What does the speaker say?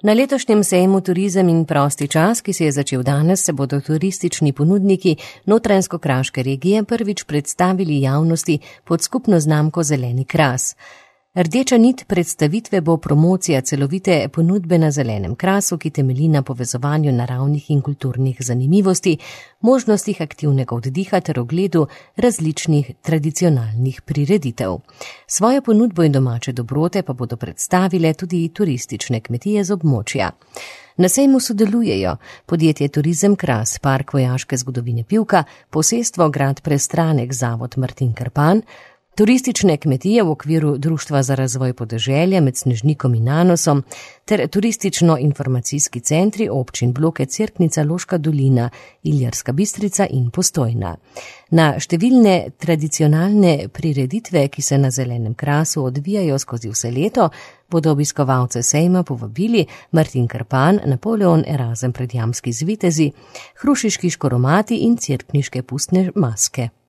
Na letošnjem sejmu Turizem in prosti čas, ki se je začel danes, se bodo turistični ponudniki Notranjsko-kraške regije prvič predstavili javnosti pod skupno znamko Zeleni Kras. Rdeča nit predstavitve bo promocija celovite ponudbe na zelenem krasu, ki temelji na povezovanju naravnih in kulturnih zanimivosti, možnostih aktivnega oddiha ter ogledu različnih tradicionalnih prireditev. Svojo ponudbo in domače dobrote pa bodo predstavile tudi turistične kmetije z območja. Na sejmu sodelujejo podjetje Turizem Kras, Park vojaške zgodovine Pivka, posestvo Grad Prestranek, Zavod Martin Krpan, turistične kmetije v okviru Društva za razvoj podeželja med Snežnikom in Nanosom ter turistično-informacijski centri občin Bloke, Cerknica, Loška dolina, Ilirska Bistrica in Postojna. Na številne tradicionalne prireditve, ki se na Zelenem krasu odvijajo skozi vse leto, bodo obiskovalce sejma povabili Martin Krpan, Napoleon Erazem Predjamski z vitezi, hrušiški škoromati in cerkniške pustne maske.